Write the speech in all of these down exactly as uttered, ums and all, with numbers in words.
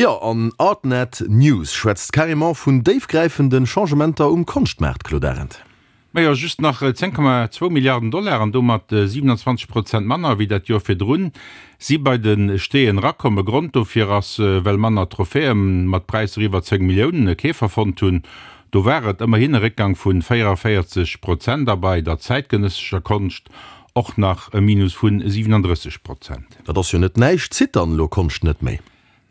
Jo, an Artnet News schwätzt carrément vun déifgräifende Changementer um Konschtmaart, Claude Arend. Majo, just nach zéng Komma zwou Milliarden Dollar an domat siewenundzwanzeg Prozent manner wéi dat Joer virdrun si bei de Steeën erakomm. E Grond dofir ass, well manner Trophäe mat Präisser iwwer zéng Milliounen e Keefer fonnt hunn. Do war et ëmmerhin e Réckgang vu véierundavéierzeg Prozent a bei der zäitgenëssescher Konscht och nach e Minus vu siwenunddrësseg Prozent. Dat ass jo net näischt. Zitt dann elo Konscht net méi?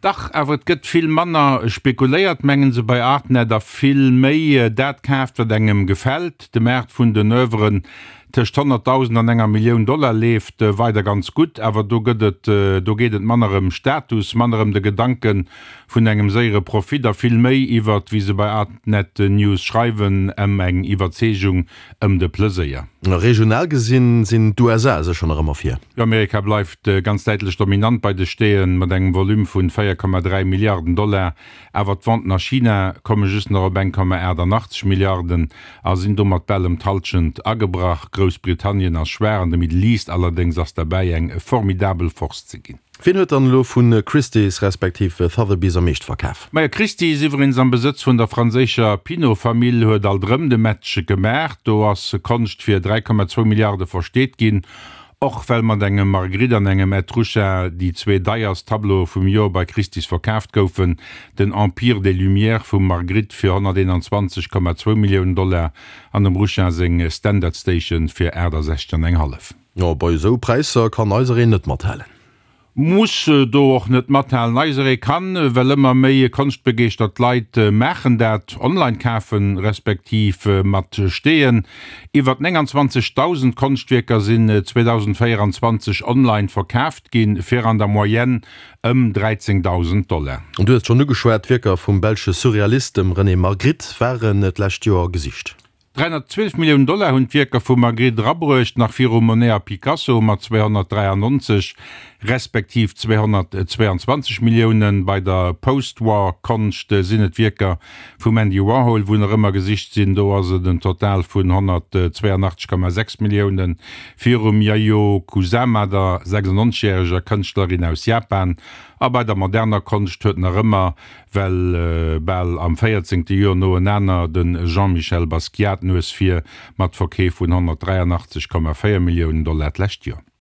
Dach, awer et gëtt vill manner spekuléiert, mengen se bei Artnet, a vill méi dat kaaft, wat engem gefält. De Maart vun den Oeuvren tëscht honnertdausend an enger Millioun Dollar leeft weider ganz gutt, awer do gëtt et, do geet et manner ëm Status, manner ëm de Gedanke vun engem séiere Profit a vill méi iwwert, wéi se bei Artnet News schreiwen, ëm eng Iwwerzeegung, ëm de Pleséier. Regional gesinn sinn d'U S A sécher nach ëmmer vir. Jo, Amerika bleift ganz däitlech dominant bei de Steeën, mat engem Volume vun véier Komma dräi Milliarden Dollar. Awer d'Venten a China komme just nach op eng Komma aachtundachtzeg Milliarden a sinn domat bal ëm d'Hallschent agebrach. Groussbritannien ass schwaach an de Middle East allerdéngs ass derbäi eng formidabel Force ze ginn. Wien huet dann elo vu Christie's respektiv Sotheby's am meeschte verkaf? Majo, Christie's, iwweregens am Besëtz vun der franséischer Pinault-Famill, huet alt erëm de Match gemaach. Do ass Konscht fir dräi Komma zwou Milliarde versteet ginn, och well mat engem Magritte an engem Ed Ruscha déi zwee deierst Tableaue vum Joer bei Christie's verkaaft goufen, den Empire des Lumières vum Magritte fir honnerteenanzwanzeg Komma zwou Milliounen Dollar an dem Ruscha seng Standard Station fir aachtasechzeg an eng hallef. Jo, bei esou Präisser kann eisereen net mathalen. Muss do och net mathalen. Eiseree kann, well ëmmer méi konschtbegeeschtert Leit maachen dat, online kafen, respektiv mat Steeën. Iwwer nénganzwanzegdausend Konschtwierker sinn zweedausendvéieranzwanzeg online verkaaft ginn, fir an der Moyenne ëm dräizéngdausend Dollar. An du hues et schonn ugeschwat, d'Wierker vum belsche Surrealist, dem René Magritte, waren d'lescht Joer gesicht. dräihonnertzwielef Milliounen Dollar hunn d'Wierker vum Magritte erabruecht, nach virum Monet a Picasso mat zweehonnertdräiannonzeg respektiv zweehonnertzweianzwanzeg Milliounen. Bei der Post-War-Konscht sinn et d'Wierker vum Andy Warhol, wou nach ëmmer gesicht sinn, do ass et en Total vun honnertzweianachtzeg Komma sechs Milliounen, virum Yayoi Kusama, der sechsundnonzeg järeger Kënschtlerin aus Japan. A bei der moderner Konscht huet nach ëmmer, well bal am véierzéngte Joer noenaner, de Jean-Michel Basquiat d'Nues vir mat Verkeef vun honnertdräianachtzeg Komma véier Milliounen Dollar d'lescht Joer.